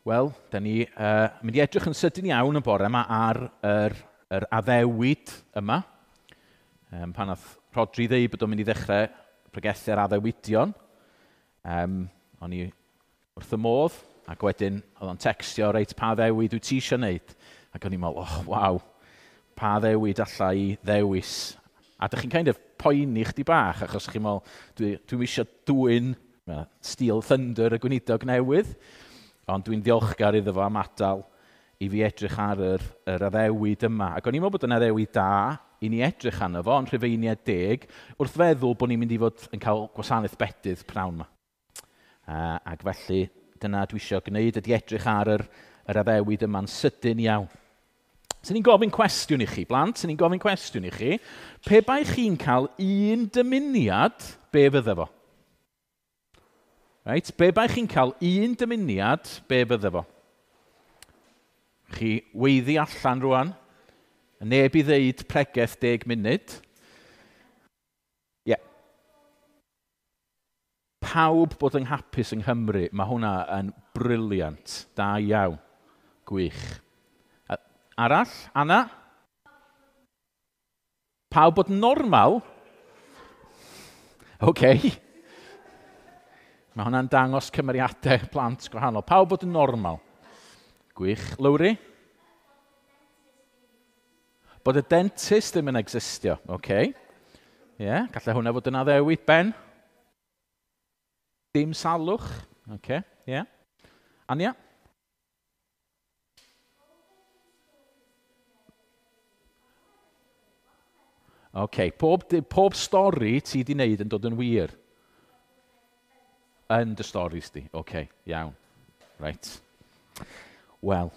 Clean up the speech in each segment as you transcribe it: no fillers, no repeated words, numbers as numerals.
Wel, da ni mynd i edrych yn sydyn iawn y bore yma ar yr addewid yma. Pan nath Rhodri ddeud bod o'n mynd i ddechrau pregethu ar addewidion, o'n i wrth y modd, ac wedyn oedd o'n textio, reit, pa addewid wyt ti eisiau wneud? Ac o'n i'n meddwl, oh, waw, pa addewid alla i ddewis? A dych chi'n kind of poeni chdi bach, achos chi'n meddwl, dwi'm eisiau dwyn Steel Thunder y gweinidog newydd, ond dwi'n ddiolchgar iddo fo am adael i fi edrych ar yr addewid yma. Ac o'n i'n meddwl bod yn addewid da i ni edrych arno fo, yn Rhufeiniaid 10, wrth feddwl bod ni'n mynd i fod yn cael gwasanaeth bedydd pnawn yma. Ac felly, dyna dwi eisiau gwneud, ydy edrych ar yr addewid yma'n sydyn iawn. Swn i'n gofyn cwestiwn i chi, blant, swn i'n gofyn cwestiwn i chi. Pe bai chi'n cael un dymuniad, be fydde fo? Reit, be bai chi'n cael un dymuniad, be fydde fo? Chi weiddi allan rwan, neb i ddeud pregeth 10 munud. Ie. Yeah. Pawb bod yn hapus yng Nghymru, mae hwnna yn brilliant, da iawn, gwych. Arall, Anna? Pawb bod yn normal? OK. Mae hwnna'n dangos cymeriadau plant gwahanol. Pawb bod yn normal. Gwych. Lowri? Bod y dentist ddim yn existio. OK. Ie, yeah, gallai hwnna fod yn addewid. Ben? Dim salwch. OK, ie. Yeah. Ania? OK, pob stori ti di wneud yn dod yn wir. Yn dy storis di. OK, iawn. Right. Wel,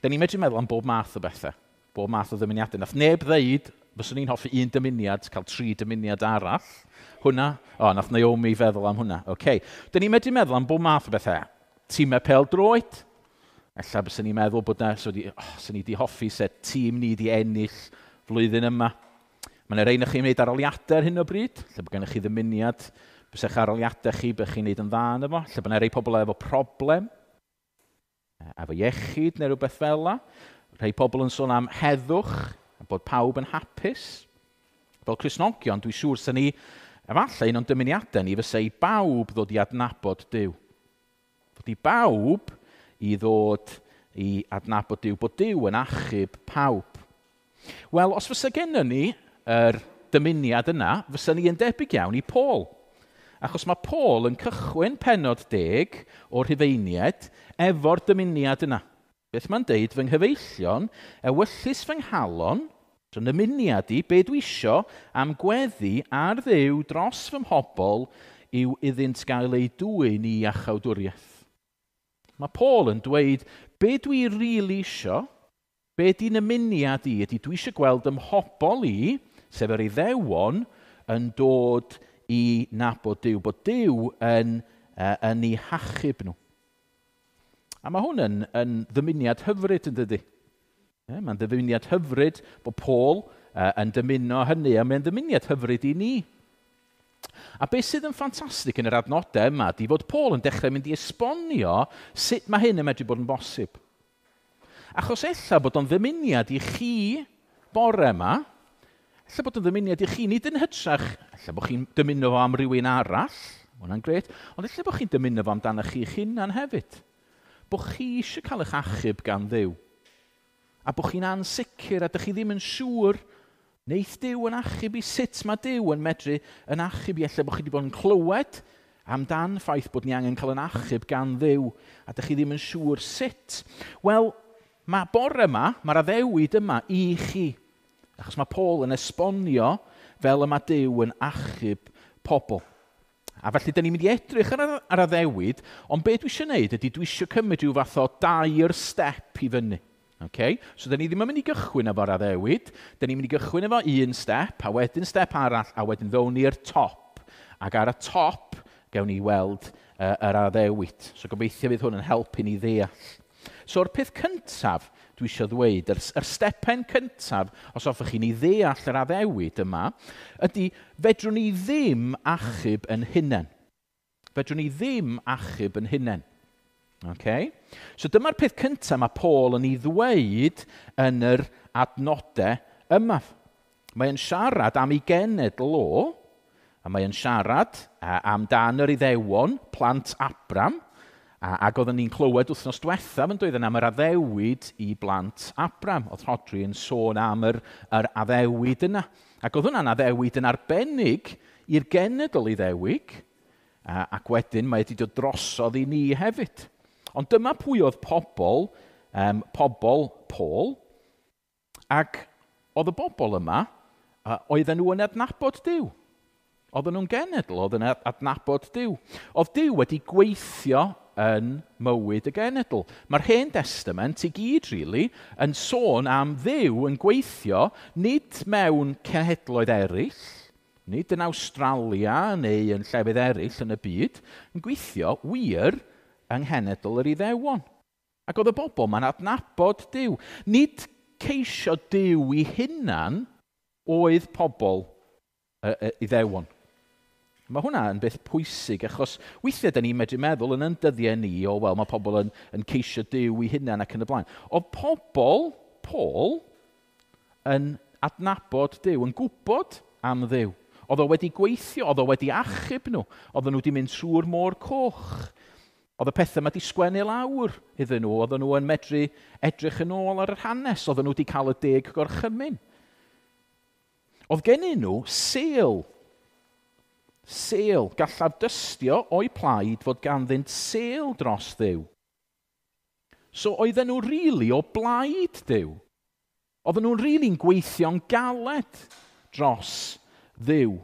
da ni'n medru meddwl am bob math o bethau. Bob math o ddymuniadau. Nath neb ddeud, fyswn i'n hoffi un dymuniad, cael 3 dymuniad arall. Hwna, nath Naomi feddwl am hwnna. OK. Da ni'n medru meddwl am bob math o bethau. Tîmau pêl-droed. Ella byswn i'n meddwl bod na, swn i di hoffi se tîm ni di ennill flwyddyn yma. Mae yna rei na chi'n gwneud aroliadau ar hyn o bryd, lle bod gennych chi ddymuniad, bys eich aroliadau chi, bych chi'n gwneud yn dda yno fo, lle bod yna rei pobl efo problem, efo iechyd neu rhywbeth fel la. Rhai pobl yn sôn am heddwch, a bod pawb yn hapus. Fel Cristnogion, dwi'n siŵr sy'n ni, efallai un o'n dymuniadau ni fysa i bawb ddod i adnabod Duw. Fod i bawb i ddod i adnabod Duw, bod Duw yn achub pawb. Wel, os fysa gennym ni yr dymuniad yna, fysa ni yn debyg iawn i Paul. Achos mae Paul yn cychwyn pennod 10 o'r Rhufeiniaid efo'r dymuniad yna. Beth mae'n deud, fy nghyfeillion, ewyllys fy nghalon, so nymuniad i, be dwi isio am gweddi ar Dduw dros fy mhobl yw iddynt gael eu dwyn i iachawdwriaeth. Mae Paul yn dweud, be dwi rili isio, be di nymuniad i, ydy dwi eisiau gweld ym mhobl i, sef yr Iddewon, yn dod i nabod Duw, bod Duw yn eu hachub nhw. A mae hwn yn ddymuniad hyfryd, yn dydy? Mae'n ddymuniad hyfryd bod Paul yn dymuno hynny, a mae'n ddymuniad hyfryd i ni. A beth sydd yn ffantastig yn yr adnodau yma ydy fod Paul yn dechrau mynd i esbonio sut mae hyn yn medru bod yn bosib. Achos ella bod o'n ddymuniad i chi bore yma, ella bod o'n ddymuniad i chi, nid yn hytrach, ella bod chi'n dymuno fo am rywun arall, hwnna'n gret, ond ella bod chi'n dymuno fo amdano chi'ch hunan hefyd. Bod chi eisiau cael eich achub gan Dduw. A bod chi'n ansicr a dych chi ddim yn siŵr neith Duw yn achub i, sut mae Duw yn medru yn achub i. Ella bod chi wedi bod yn clywed amdan ffaith bod ni angen cael yn achub gan Dduw a dych chi ddim yn siŵr sut. Wel, mae bore yma, mae'r addewid yma i chi. Achos mae Paul yn esbonio fel y mae Duw yn achub pobl. A felly, dyn ni'n mynd i edrych ar addewid, ond be dwi eisiau gwneud ydy dwi eisiau cymryd rhyw fath o 2 step i fyny. Okay? So, dyn ni ddim yn mynd i gychwyn efo'r addewid, dyn ni'n mynd i gychwyn efo un step, a wedyn step arall, a wedyn ddown ni'r top. Ac ar y top, gewn ni weld yr addewid. So, gobeithio fydd hwn yn helpu ni ddeall. So'r peth cyntaf dwi eisiau ddweud, yr stepen cyntaf, os hoffech chi ni ddeall yr addewid yma, ydy fedrwn ni ddim achub yn hunain. Fedrwn ni ddim achub yn hunain. Okay? So dyma'r peth cyntaf mae Paul yn ei ddweud yn yr adnodau yma. Mae'n siarad am ei genedl o, a mae'n siarad amdan yr Iddewon, plant Abram, ac oedden ni'n clywed wythnos diwethaf yn dweud am yr addewid i blant Abram. Oedd Rhodri yn sôn am yr addewid yna. Ac oedd hwnna'n addewid yn arbennig i'r genedl Iddewig, ac wedyn mae wedi dod drosodd i ni hefyd. Ond dyma pwy oedd pobl Paul, ac oedd y bobl yma, oedden nhw yn adnabod Duw. Oedden nhw'n genedl, oedden nhw'n adnabod Duw. Oedd Duw wedi gweithio yn mywyd y genedl. Mae'r Hen Testament i gyd, really, yn sôn am Dduw yn gweithio nid mewn cenhedloedd eraill, nid yn Awstralia neu yn llefydd eraill yn y byd, yn gweithio wir yng nghenedl yr Iddewon. Ac oedd y bobl ma'n adnabod Duw. Nid ceisio Duw i hunan oedd pobl Iddewon. Mae hwnna yn beth pwysig, achos weithiau da ni'n medru meddwl yn dyddiau ni, o wel, mae pobl yn ceisio Duw i hunan ac yn y blaen. Oedd pobl, Paul, yn adnabod Duw, yn gwybod am Dduw. Oedd o wedi gweithio, oedd o wedi achub nhw. Oedden nhw wedi mynd trwy'r môr coch. Oedd y pethau yma wedi sgwennu lawr iddyn nhw. Oedden nhw yn medru edrych yn ôl ar yr hanes. Oedden nhw wedi cael y 10 gorchymyn. Oedd gennyn nhw sêl. Sêl. Gallaf dystio o'i plaid fod ganddynt sêl dros Dduw. So oedden nhw rili o blaid Duw. Oedden nhw'n rili'n gweithio'n galed dros Dduw.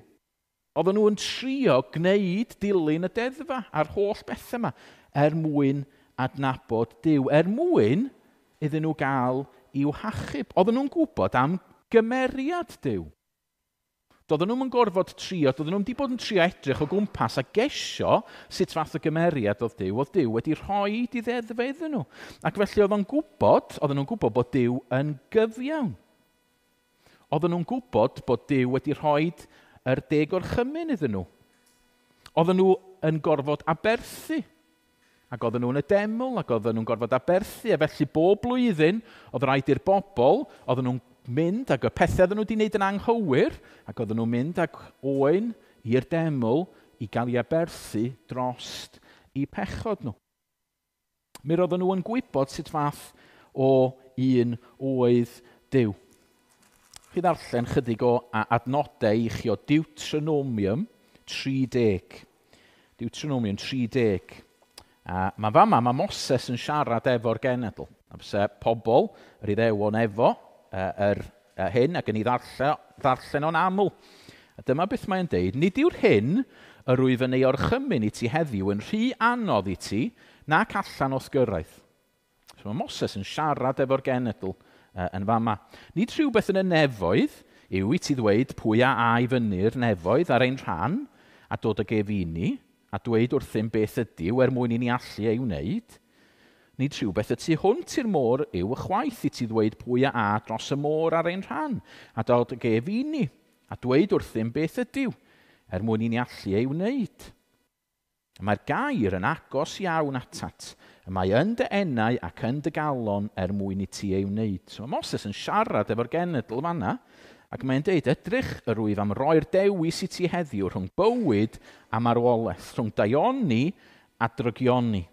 Oedden nhw'n trio gwneud dilyn y deddfa a'r holl bethau yma er mwyn adnabod Duw, er mwyn iddyn nhw gael i'w hachub. Oedden nhw'n gwybod am gymeriad Duw. Doedden nhw'n gorfod trio, doedden nhw'n wedi bod yn trio edrych o gwmpas a gesio sut fath o gymeriad oedd Duw. Oedd Duw wedi rhoi i ddeddfau iddyn nhw. Ac felly oedden nhw'n gwybod bod Duw yn gyfiawn. Oedden nhw'n gwybod bod Duw wedi rhoi yr 10 gorchymyn iddyn nhw. Oedden nhw yn gorfod aberthu. Ac oedden nhw'n y deml, ac oedden nhw'n gorfod aberthu. A felly bob blwyddyn oedd rhaid i'r bobl, oedden nhw'n mynd ac y pethau oedden nhw wedi wneud yn anghywir, ac oedden nhw'n mynd ag oen i'r deml i gael ei aberthu drost eu pechod nhw. Mi roedden nhw yn gwybod sut fath o un oedd Duw. Chi ddarllen chydig o adnodau i chi o Deuteronomium 30. Deuteronomium 30. A mae fama, mae Moses yn siarad efo'r genedl. A fysa pobl, yr Iddewon efo, yr hyn, ac yn ei ddarllen o'n aml. A dyma beth mae'n deud, nid yw'r hyn yr wyf yn ei orchymyn i ti heddiw yn rhy anodd i ti, nac allan o'th gyrraedd. So mae Moses yn siarad efo'r genedl yn fama. Nid rhywbeth yn y nefoedd yw i ti ddweud pwy a ai fyny'r nefoedd ar ein rhan, a dod ag ef i ni, a dweud wrthym beth ydyw er mwyn i ni allu ei wneud. Nid rhywbeth y tu hwnt i'r môr yw y chwaith i ti ddweud pwy a a dros y môr ar ein rhan, a dod ag ef i ni, a dweud wrthym beth ydyw, er mwyn i ni allu ei wneud. Mae'r gair yn agos iawn atat. Y mae yn dy enau ac yn dy galon er mwyn i ti ei wneud. So mae Moses yn siarad efo'r genedl fanna, ac mae'n deud, edrych yr wyf am roi'r dewis i ti heddiw rhwng bywyd a marwolaeth, rhwng daioni a drygioni.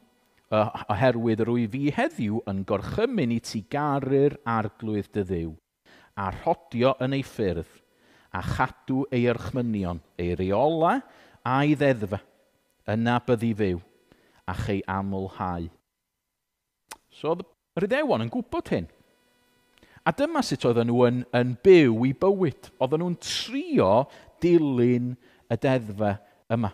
Oherwydd yr wyf fi heddiw yn gorchymyn i ti garu'r arglwydd dy Dduw, a rhodio yn ei ffyrdd, a chadw ei orchmynion, ei reola a'i ddeddfa, yna byddi fyw, a chei amlhau. So oedd yr Iddewon yn gwybod hyn. A dyma sut oedden nhw yn byw i bywyd. Oedden nhw'n trio dilyn y deddfa yma.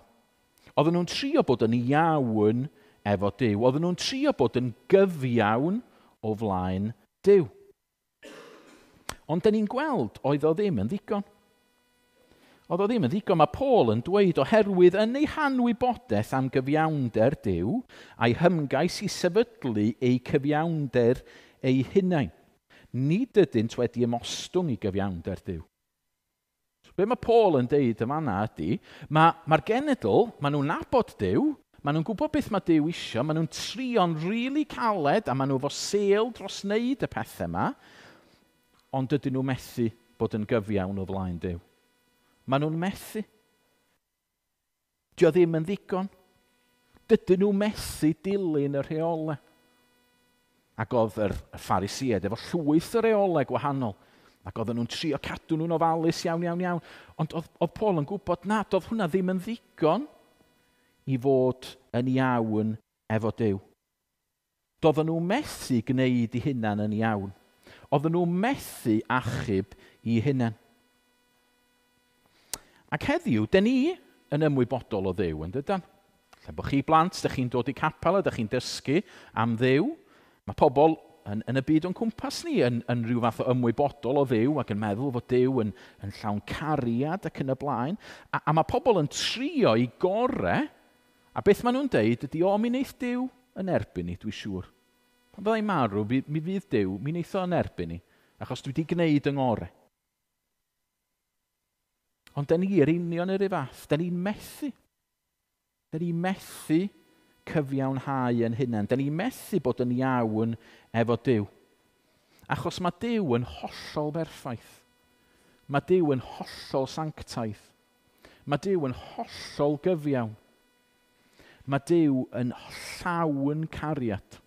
Oedden nhw'n trio bod yn iawn efo Duw. Oedden nhw'n trio bod yn gyfiawn o flaen Duw. Ond dyn ni'n gweld oedd o ddim yn ddigon. Oedd o ddim yn ddigon. Mae Paul yn dweud oherwydd yn ei hanwybodaeth am gyfiawnder Duw a'i hymgais i sefydlu eu cyfiawnder eu hunain. Nid ydynt wedi ymostwng i gyfiawnder Duw. So, be mae Paul yn deud yma yna ydy, mae'r genedl, maen nhw'n nabod Duw, Maen nhw'n gwybod beth mae Duw isio, maen nhw'n trio'n rili caled a maen nhw efo sêl dros wneud y pethau yma, ond dydyn nhw methu bod yn gyfiawn o flaen Duw. Maen nhw'n methu. Dio ddim yn ddigon. Dydyn nhw methu dilyn y rheolau. Ac oedd yr Pharisïaid efo llwyth o reolau gwahanol. Ac oedden nhw'n trio cadw nhw'n ofalus iawn, iawn, iawn. Ond oedd Paul yn gwybod na, doedd hwnna ddim yn ddigon i fod yn iawn efo Duw. Doedden nhw methu gwneud eu hunain yn iawn. Oedden nhw methu achub eu hunain. Ac heddiw, dyn ni yn ymwybodol o Dduw, yn dydan? Lle bod chi blant, dych chi'n dod i capel a dych chi'n dysgu am Dduw. Mae pobl yn y byd o'n cwmpas ni yn rhyw fath o ymwybodol o Dduw ac yn meddwl fod Duw yn llawn cariad ac yn y blaen. A mae pobl yn trio i gore, a beth maen nhw'n deud ydy, o, mi wneith Duw yn erbyn ni, dwi siŵr. Pan fyddai'n marw, mi fydd Duw, mi wneith o yn erbyn ni, achos dwi wedi gwneud yng ngore. Ond dyn ni yr union yr un fath, dyn ni'n methu. Dyn ni'n methu cyfiawnhau yn hunain. Dyn ni'n methu bod yn iawn efo Duw. Achos mae Duw yn hollol berffaith. Mae Duw yn hollol sanctaidd. Mae Duw yn hollol gyfiawn. Mae Duw yn llawn cariad.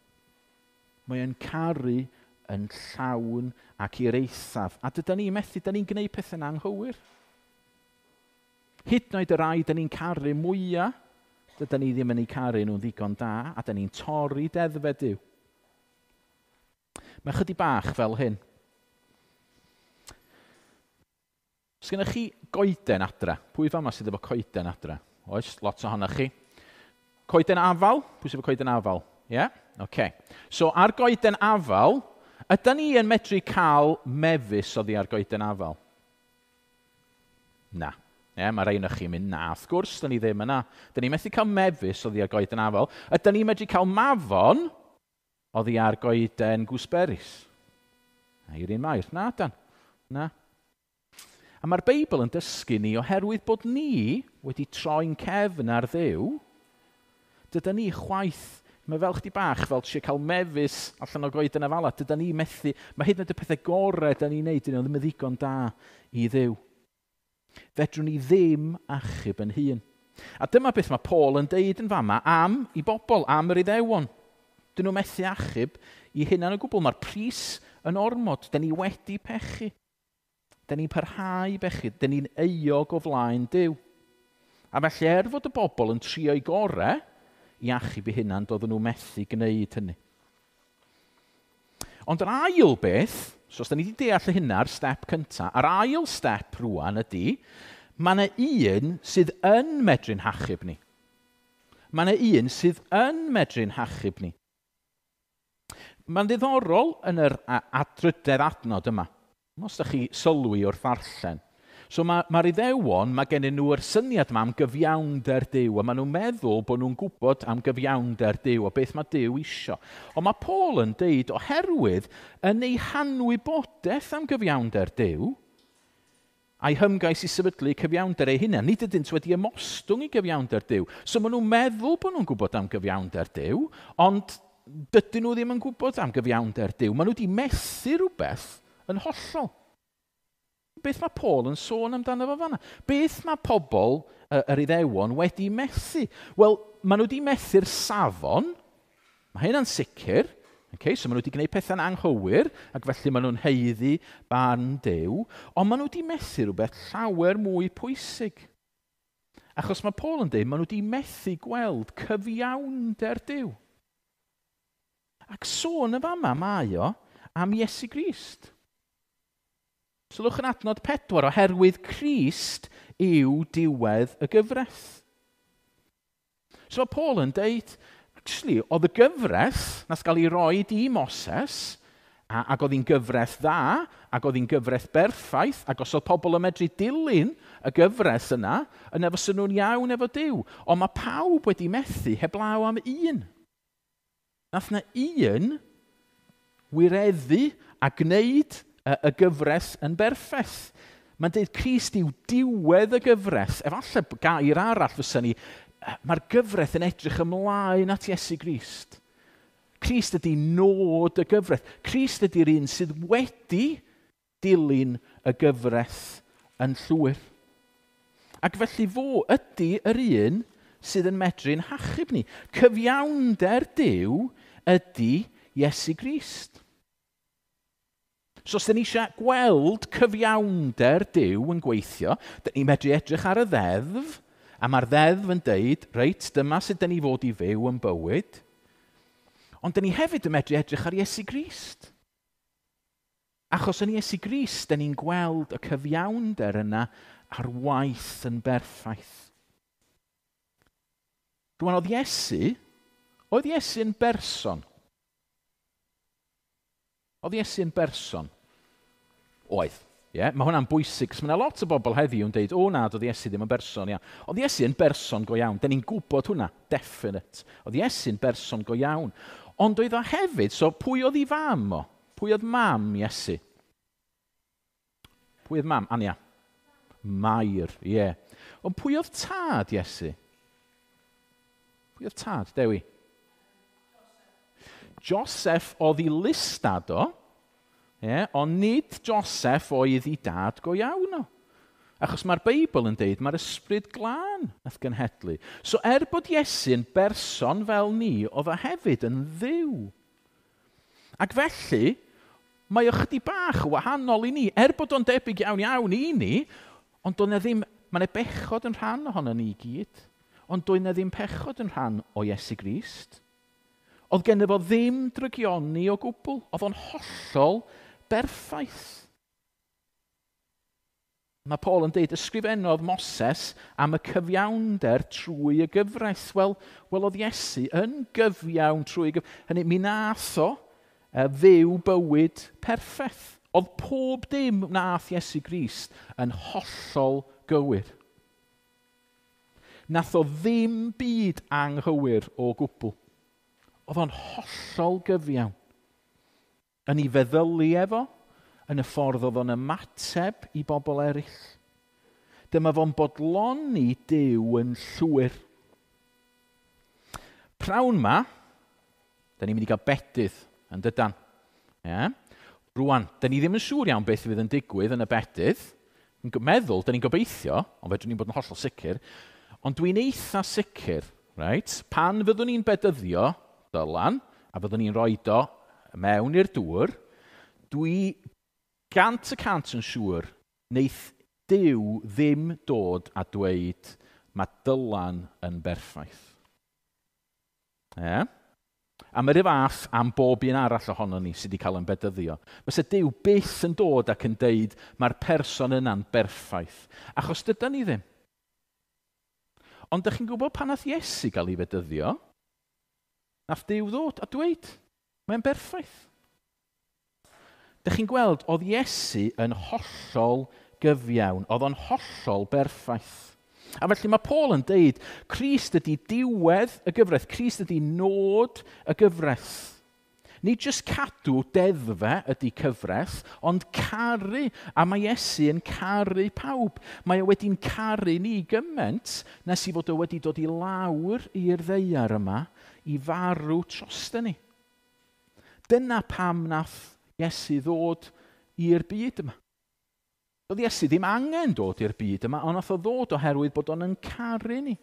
Mae e'n caru yn llawn ac i'r eithaf. A dydan ni methu, dyn ni'n gwneud pethau'n anghywir. Hyd yn oed y rai dyn ni'n caru mwyaf, dydan ni ddim yn eu caru nhw'n ddigon da, a dyn ni'n torri deddfau Duw. Mae chydig bach fel hyn. Os gennych chi goeden adra? Pwy fama sydd efo coeden adra? Oes, lot ohonoch chi. Coeden afal? Pwy sydd efo coeden afal? Ie? Yeah? Okay. So ar goeden afal, ydan ni yn medru cael mefus oddi ar goeden afal? Na. Ie, mae rhai ohonoch chi'n mynd, na, wrth gwrs, dyn ni ddim yna. Dyn ni methu cael mefus oddi ar goeden afal. Ydyn ni'n medru cael mafon oddi ar goeden gooseberries? Na, i'r un mair. Na, dan. Na. A mae'r Beibl yn dysgu ni, oherwydd bod ni wedi troi'n cefn ar Dduw, dydan ni chwaith, mae fel chdi bach, fel trio cael mefus allan o goeden afala, dydan ni methu, mae hyd yn oed y pethau gorau dyn ni'n neud, dyn nhw ddim yn ddigon da i Dduw. Fedrwn ni ddim achub yn hun. A dyma beth mae Paul yn deud yn fama am i bobl, am yr Iddewon. Dyn nhw methu achub i hunan o gwbl. Mae'r pris yn ormod. Dyn ni wedi pechu. Dyn ni'n parhau i bechu. Dyn ni'n euog o flaen Duw. A felly fod y bobl yn trio eu gorau i achub eu hunan, doedden nhw methu gwneud hynny. Ond yr ail beth, so os da ni wedi deall hynna ar step cyntaf, a'r ail step rwan ydy, mae yna un sydd yn medru'n hachub ni. Mae yna un sydd yn medru'n hachub ni. Mae'n ddiddorol yn yr adrydedd adnod yma. Os da chi sylwi wrth ddarllen. So mae'r Iddewon, mae gennyn nhw'r syniad yma am gyfiawnder Duw, a maen nhw'n meddwl bod nhw'n gwybod am gyfiawnder Duw, a beth mae Duw isio. Ond mae Paul yn deud, oherwydd yn ei hanwybodaeth am gyfiawnder Duw, a'i hymgais i sefydlu cyfiawnder ei hunain, nid ydynt wedi ymostwng i gyfiawnder Duw. So maen nhw'n meddwl bod nhw'n gwybod am gyfiawnder Duw, ond dydyn nhw ddim yn gwybod am gyfiawnder Duw. Maen nhw wedi methu rhywbeth yn hollol. Beth mae Paul yn sôn amdano fo fanna? Beth mae pobl yr Iddewon wedi methu? Wel, maen nhw wedi methu'r safon. Mae hynna'n sicr. Okay, so maen nhw wedi gwneud pethau'n anghywir, ac felly maen nhw'n haeddu barn Duw. Ond maen nhw wedi methu rhywbeth llawer mwy pwysig. Achos mae Paul yn dweud, maen nhw wedi methu gweld cyfiawnder Duw. Ac sôn y fama mae o am Iesu Grist. Sylwch yn adnod 4, oherwydd Crist yw diwedd y gyfraith. So mae Paul yn deud, actually, oedd y gyfraith nath gael ei roed i Moses, ac oedd hi'n gyfraith dda, ac oedd hi'n gyfraith berffaith, ac os oedd pobl yn medru dilyn y gyfraith yna, yna fysa nhw'n iawn efo Duw. Ond mae pawb wedi methu heblaw am un. Nath na un wireddu a gwneud y gyfres yn berffaith. Mae'n deud Crist yw diwedd y gyfres. Efallai gair arall fysa ni Mae'r gyfraith yn edrych ymlaen at Iesu Grist. Crist ydy nod y gyfraith. Crist ydy'r un sydd wedi dilyn y gyfraith yn llwyr. Ac felly fo ydy yr un sydd yn medru'n hachub ni. Cyfiawnder Duw ydy Iesu Grist. So os dyn ni eisiau gweld cyfiawnder Duw yn gweithio, dyn ni'n medru edrych ar y ddeddf, a mae'r ddeddf yn deud, reit, dyma sut dyn ni fod i fyw yn bywyd. Ond dyn ni hefyd yn medru edrych ar Iesu Grist. Achos yn Iesu Grist, dyn ni'n gweld y cyfiawnder yna ar waith yn berffaith. Rwan, oedd Iesu'n berson? Oedd Iesu'n berson? Oedd. Yeah? Mae hwnna'n bwysig, cos mae yna lot o bobl heddiw yn deud, o na, doedd Iesu ddim yn berson, ia. Oedd Iesu yn berson go iawn. Dyn ni'n gwybod hwnna, definite. Oedd Iesu'n berson go iawn. Ond oedd o hefyd, so pwy oedd ei fam o? Pwy oedd mam Iesu? Pwy oedd mam? Ania. Mair, ie. Yeah. Ond pwy oedd tad Iesu? Pwy oedd tad, Dewi? Joseph oedd ei lystad o, yeah, ond nid Joseph oedd ei dad go iawn o. Achos mae'r Beibl yn deud mae'r ysbryd glân nath genhedlu. So er bod Iesu'n berson fel ni, oedd o hefyd yn Dduw. Ac felly, mae o chydig bach wahanol i ni. Er bod o'n debyg iawn iawn i ni, ond doedd 'na ddim, mae 'na bechod yn rhan ohono ni i gyd. Ond doedd 'na ddim pechod yn rhan o Iesu Grist. Oedd genno fo ddim drygioni o gwbl. Oedd o'n hollol berffaith. Mae Paul yn deud, ysgrifennodd Moses am y cyfiawnder trwy y gyfraith. Wel, oedd Iesu yn gyfiawn trwy y gyfraith. Hynny, mi nath o fyw bywyd perffaith. Oedd pob dim nath Iesu Grist yn hollol gywir. Nath o ddim byd anghywir o gwbl. Oedd o'n hollol gyfiawn. Yn ei feddylu efo, yn y ffordd oedd o'n ymateb i bobl eraill. Dyma fo'n bodloni Duw yn llwyr. Prawn ma, da ni'n mynd i gael bedydd yn dydan. Yeah. Rwan, da ni ddim yn siŵr iawn beth fydd yn digwydd yn y bedydd. Yn meddwl, da ni'n gobeithio, ond fedrwn ni'n bod yn hollol sicr. Ond dwi'n eitha sicr, right, pan fyddwn ni'n bedyddio Dylan, a fyddwn ni'n rhoi o mewn i'r dŵr, dwi 100% yn siŵr wneith Duw ddim dod a dweud mae Dylan yn berffaith. Yeah. A mae'r fath am bob un arall ohono ni sydd wedi cael yn bedyddio. Fysa Duw byth yn dod ac yn deud mae'r person yna'n berffaith. Achos dydan ni ddim. Ond ydych chi'n gwybod pan nath Iesu gael ei fedyddio? Nath Duw ddod a dweud, mae'n berffaith. Dych chi'n gweld, oedd Iesu yn hollol gyfiawn, oedd o'n hollol berffaith. A felly mae Paul yn deud, Crist ydy diwedd y gyfraith, Crist ydy nod y gyfraith. Nid jyst cadw deddfe ydy cyfraith, ond caru. A mae Iesu yn caru pawb. Mae o wedi'n caru ni gymaint nes i fod o wedi dod i lawr i'r ddaear yma i farw drosto ni. Dyna pam nath Iesu ddod i'r byd yma. Doedd Iesu ddim angen dod i'r byd yma, ond nath o ddod oherwydd bod o'n yn caru ni.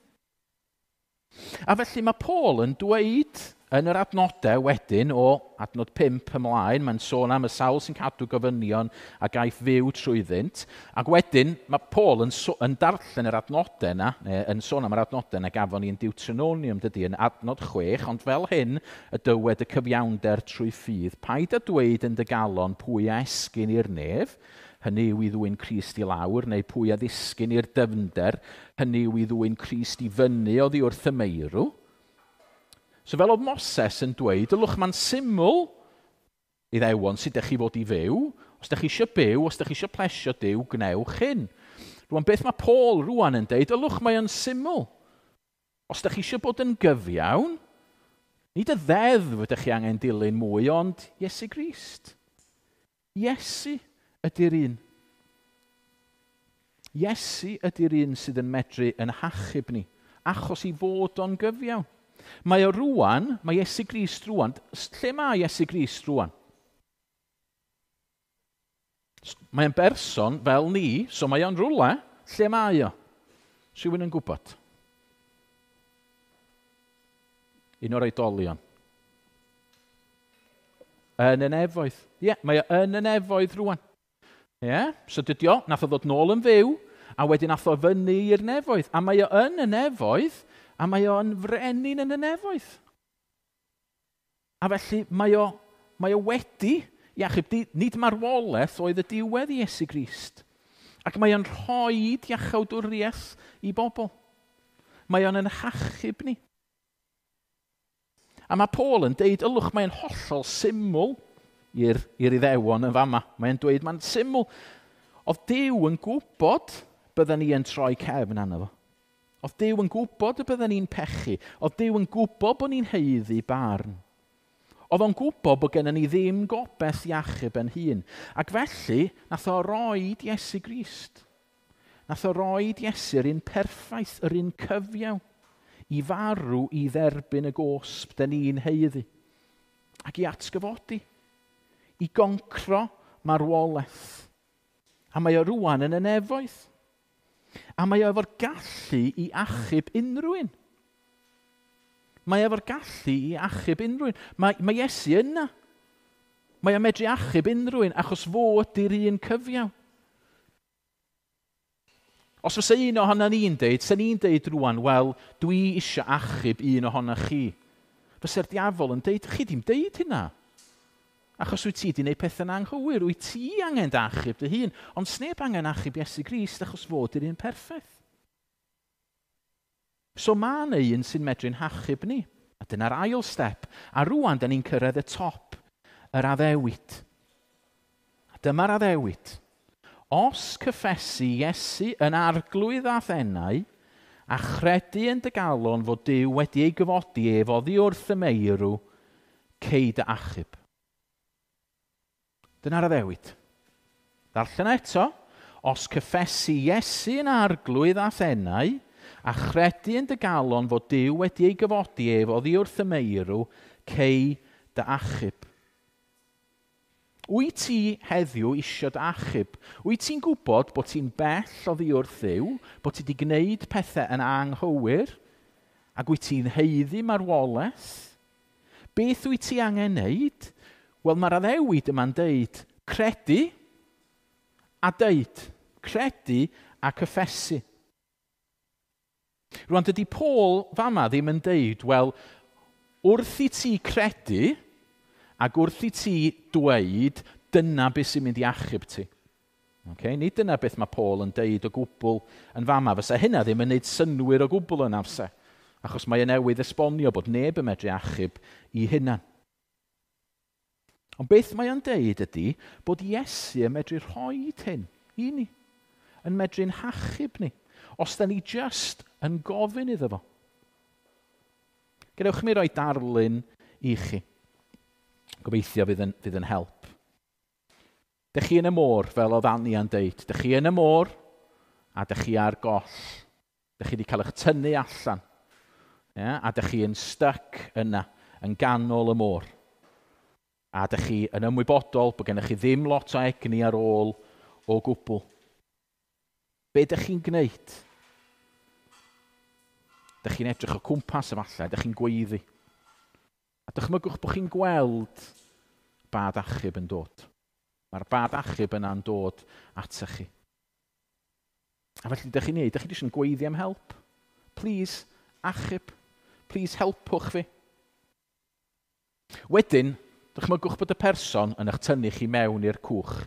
A felly mae Paul yn dweud yn yr adnodau wedyn o adnod 5 ymlaen, mae'n sôn am y sawl sy'n cadw gofynion a gaiff fyw trwyddynt. Ac wedyn mae Paul yn darllen yr adnodau yna, neu yn sôn am yr adnodau yna gafon ni yn Deuteronomium, dydy, yn adnod 6, ond fel hyn y dywed y cyfiawnder trwy ffydd. Paid â dweud yn dy galon pwy a esgyn i'r nef, hynny yw i ddwyn Crist i lawr, neu pwy a ddisgyn i'r dyfnder, hynny yw i ddwyn Crist i fyny oddi wrth y meirw. So fel oedd Moses yn dweud, ylwch mae'n syml i ddewon sut ydych chi fod i fyw. Os ydych chi eisiau byw, os ydych chi eisiau plesio Duw, gwnewch hyn. Rwan, beth mae Paul rwan yn deud, ylwch mae o'n syml. Os ydych chi eisiau bod yn gyfiawn, nid y ddeddf ydych chi angen dilyn mwy, ond Iesu Grist. Iesu ydy'r un. Iesu ydy'r un sydd yn medru yn hachub ni. achos i fod o'n gyfiawn. Mae o rwan, mae Iesu Grist rwan, lle mae Iesu Grist rwan? Mae'n berson fel ni, so mae o'n rwle, lle mae o? Rhywun yn gwybod? Un o'r oedolion. Yn y nefoedd. Ie, yeah, mae o yn y nefoedd rwan. Ie, yeah? So dydy o, nath o ddod nôl yn fyw, a wedyn nath o fyny i'r nefoedd. A mae o yn y nefoedd, a mae o'n frenin yn y nefoedd. A felly mae o wedi i achub. Nid marwolaeth oedd y diwedd i Iesu Grist. Ac mae o'n rhoi iachawdwriaeth i bobl. Mae o'n yn hachub ni. A mae Paul yn deud, ylwch, mae'n hollol syml i'r Iddewon yn fama. Mae'n dweud, mae'n syml. Oedd Duw yn gwybod bydden ni yn troi cefn arno fo. Oedd Duw yn gwybod y bydden ni'n pechu. Oedd Duw yn gwybod bod ni'n haeddu barn. Oedd o'n gwybod bod gennym ni ddim gobaith i achub yn hun. Ac felly, nath o roed Iesu Grist. Nath o roed Iesu'r un perffaith, yr un cyfiawn, i farw i dderbyn y gosb dyn ni'n haeddu. Ac i atgyfodi. I goncro marwolaeth. A mae o rwan yn y nefoedd. A mae o efo'r gallu i achub unrhyw un. Mae efo'r gallu i achub unrhyw un. Mae Iesu yna. Mae o'n medru achub unrhyw un achos fo ydy'r un cyfiawn. Os fysa un ohono ni'n deud, sy'n ni'n deud rwan, wel, dwi eisiau achub un ohono chi. Fysa'r diafol yn deud, chi ddim deud hynna. Achos wyt ti wedi gwneud pethau'n anghywir, wyt ti angen dy achub dy hun, ond sneb angen achub Iesu Grist achos fod yr un perffaith. So mae yna un sy'n medru'n hachub ni. A dyna'r ail step. A rwan, da ni'n cyrraedd y top, yr addewid. A dyma'r addewid. Os cyffesu Iesu yn arglwydd a thenau, a chredu yn dy galon fod Duw wedi ei gyfodi ef oddi wrth y meirw, cei dy achub. Dyna'r addewid. Darllen eto. Os cyffesu Iesu yn arglwydd a thenau, a chredu yn dy galon fod Duw wedi ei gyfodi ef oddi wrth y meirw, cei dy achub. Wyt ti heddiw isio dy achub? Wyt ti'n gwybod bod ti'n bell oddi wrth Dduw, bod ti wedi gwneud pethau yn anghywir, ac wyt ti'n haeddu marwolaeth? Beth wyt ti angen wneud? Wel, mae'r addewid yma'n deud credu a deud. Credu a cyffesu. Rwan, dydy Paul fama ddim yn deud, wel, wrth i ti credu ac wrth i ti dweud, dyna beth sy'n mynd i achub ti. Okay? Nid dyna beth mae Paul yn deud o gwbl yn fama. Fysa hynna ddim yn neud synwyr o gwbl yn amser. Achos mae e newydd esbonio bod neb yn medru achub i hunan. Ond beth mae o'n deud ydy bod Iesu yn medru rhoi hyn i ni. Yn medru'n hachub ni. Os da ni just yn gofyn iddo fo. Gadewch mi roi darlun i chi. Gobeithio fydd yn help. Dych chi yn y môr, fel oedd Ania'n deud. Dych chi yn y môr a dych chi ar goll. Dych chi wedi cael eich tynnu allan. Yeah? A dych chi yn stuck yna, yn ganol y môr. A dych chi yn ymwybodol bod gennych chi ddim lot o egni ar ôl o gwbl. Be dych chi'n gwneud? Dych chi'n edrych o cwmpas efallai, dych chi'n gweiddi. A dychmygwch bod chi'n gweld bad achub yn dod. Mae'r bad achub yna'n dod atoch chi. A felly dych chi'n neud, dych chi jyst yn gweiddi am help. Please, achub. Please, helpwch fi. Wedyn, dychmygwch bod y person yn eich tynnu chi mewn i'r cwch.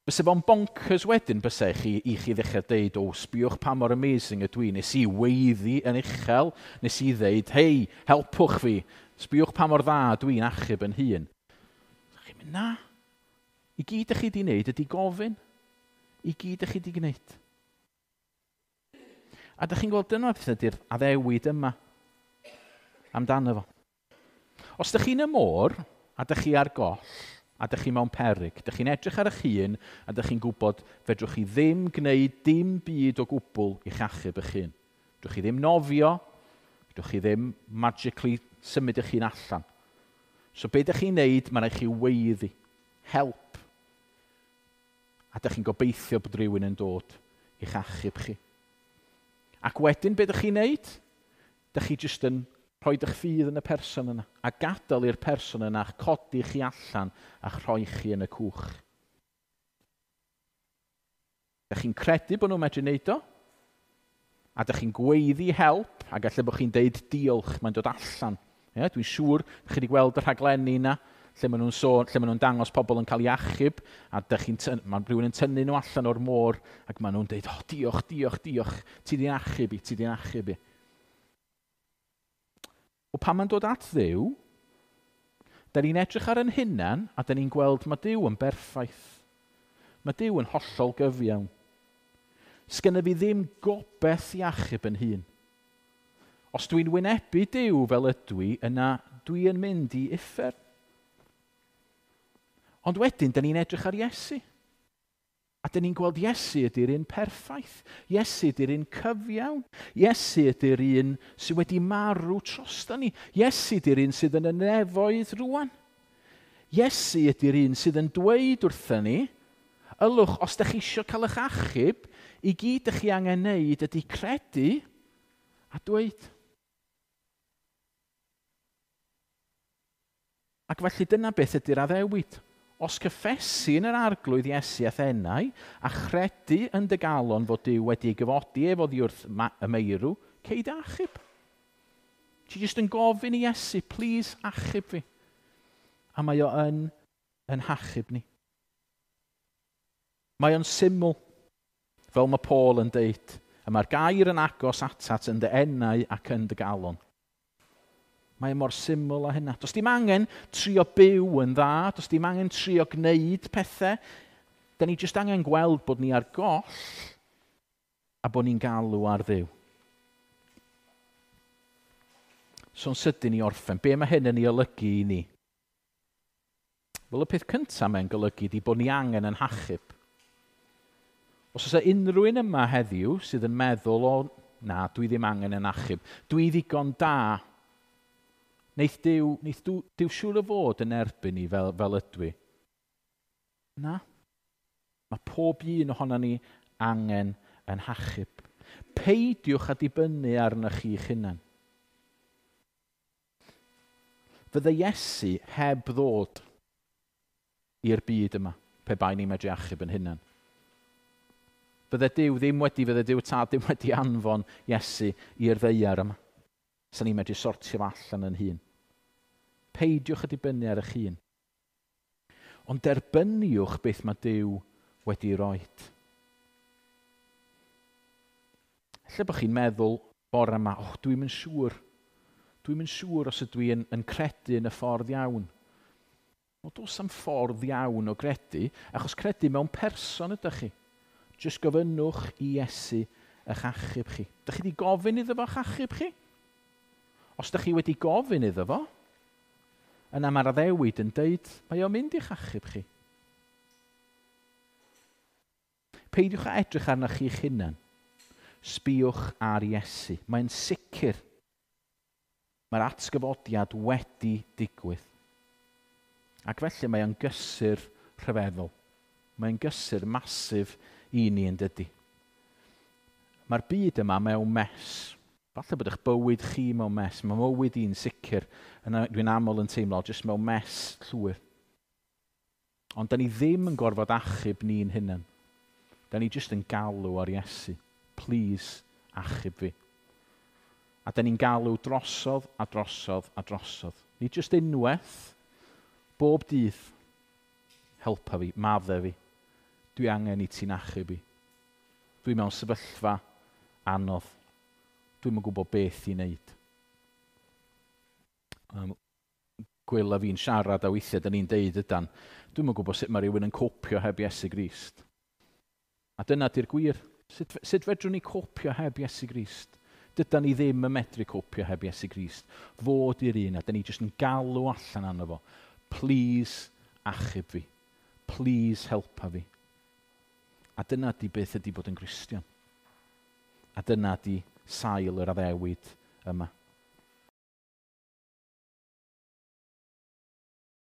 Fysa fo'n bonkers wedyn bysa chi, i chi ddechrau deud, o, sbiwch pa mor amazing ydw i. Nes i weiddi yn uchel, nes i ddeud, hei, helpwch fi. Sbiwch pa mor dda dwi'n achub yn hun. Chi'n mynd, na. I gyd ych chi di wneud ydy gofyn. I gyd ych chi di gwneud. A dych chi'n gweld dyna beth ydy'r addewid yma amdano fo. Os dych chi'n y môr a dych chi ar goll, a dych chi mewn peryg, dych chi'n edrych ar eich hun a dych chi'n gwybod fedrwch chi ddim gwneud dim byd o gwbl i'ch achub eich hun. Fedrwch chi ddim nofio, fedrwch chi ddim magically symud eich hun allan. So be ydych chi'n neud, mae'n rhaid chi weiddi. Help. A ydych chi'n gobeithio bod rhywun yn dod i'ch achub chi. Ac wedyn, be ydych chi'n neud? Ydych chi jyst yn rhoi eich ffydd yn y person yna a gadael i'r person yna a'ch codi chi allan a'ch rhoi chi yn y cwch. Ydych chi'n credu bod nhw'n medru wneud o? A ydych chi'n gweiddi help, a gallai bod chi'n deud diolch, mae'n dod allan. Ie, dwi'n siŵr chi wedi gweld y rhaglenni yna, lle maen nhw'n sôn, lle maen nhw'n dangos pobl yn cael ei achub, a dych chi'n mae rhywun yn tynnu nhw allan o'r môr, ac maen nhw'n deud, "Oh, diolch, diolch, diolch, ti di'n achub i, ti di'n achub i." O pan mae'n dod at Dduw, da ni'n edrych ar yn hunan, a da ni'n gweld mae Duw yn berffaith. Mae Duw yn hollol gyfiawn. Sgynna fi ddim gobeith i achub yn hun. Os dwi'n wynebu Duw fel ydw i, yna dwi yn mynd i uffern. Ond wedyn, da ni'n edrych ar Iesu. A da ni'n gweld Iesu ydy'r un perffaith. Iesu ydy'r un cyfiawn. Iesu ydy'r un sydd wedi marw drosta ni. Iesu ydy'r un sydd yn y nefoedd rwan. Iesu ydy'r un sydd yn dweud wrthyn ni, ylwch, os ydych chi eisiau cael eich achub, i gyd ydych chi angen neud ydy credu a dweud. Ac felly dyna beth ydy'r addewid. Os cyffesu yn yr Arglwydd Iesu a'th enau, a chredu yn dy galon fod Duw wedi ei gyfodi ef oddi wrth y meirw, cei dy achub. Ti jyst yn gofyn i Iesu, "Please achub fi." A mae o yn hachub ni. Mae o'n syml, fel mae Paul yn deud. A mae'r gair yn agos atat yn dy enau ac yn dy galon. Mae e mor syml â hynna. Does dim angen trio byw yn dda, does dim angen trio gwneud pethau. Da ni jyst angen gweld bod ni ar goll a bod ni'n galw ar Dduw. So'n sydyn i orffen, be mae hyn yn ei olygu i ni? Wel, y peth cyntaf mae'n golygu ydy bod ni angen yn hachub. Os oes unrhyw un yma heddiw sydd yn meddwl, "O, na, dwi ddim angen yn achub, dwi ddigon da, neith Duw siŵr o fod yn erbyn i fel ydw i." Na. Mae pob un ohono ni angen yn hachub. Peidiwch â dibynnu arnoch chi'ch hunan. Fydde Iesu heb ddod i'r byd yma pe bai ni'n medru achub yn hunan. Fydde Duw Tad ddim wedi anfon Iesu i'r ddaear yma. Sa ni'n medru sortio fo allan yn hun. Peidiwch â dibynnu ar eich hun. Ond derbyniwch beth mae Duw wedi roed. Ella bod chi'n meddwl bore yma, "Oh, dwi'n yn siŵr. Dwi'n yn siŵr os ydw i yn credu yn y ffordd iawn." Wel, does am ffordd iawn o gredu, achos credu mewn person ydych chi. Jyst gofynnwch i Iesu eich achub chi. Dych chi wedi gofyn iddo fo eich achub chi? Os ydych chi wedi gofyn iddo fo, yna mae'r addewid yn deud, mae o'n mynd i'ch achub chi. Peidiwch â edrych arnoch chi'ch hunan. Sbïwch ar Iesu. Mae'n sicr. Mae'r atgyfodiad wedi digwydd. Ac felly mae o'n gysur rhyfeddol. Mae'n gysur massive i ni, yn dydy? Mae'r byd yma mewn mess. Falle bod eich bywyd chi mewn mess. Mae mywyd i'n sicr. Dwi'n aml yn teimlo jyst mewn mess llwyr. Ond da ni ddim yn gorfod achub ni'n hunan. Da ni jyst yn galw ar Iesu. "Please, achub fi." A da ni'n galw drosodd a drosodd a drosodd. Nid jyst unwaith, bob dydd. "Helpa fi, madde fi. Dwi angen i ti'n achub i. Dwi mewn sefyllfa anodd. Dwi'm yn gwybod beth i wneud." Gwyl a fi'n siarad a weithiau da ni'n deud ydan, "Dwi'm yn gwybod sut mae rhywun yn copio heb Iesu Grist." A dyna di'r gwir. Sut fedrwn ni copio heb Iesu Grist? Dydan ni ddim yn medru copio heb Iesu Grist. Fo 'di'r un, a da ni jyst yn galw allan arno fo. "Please, achub fi. Please, helpa fi." A dyna di beth ydy bod yn Gristion. A dyna di sail yr addewid yma.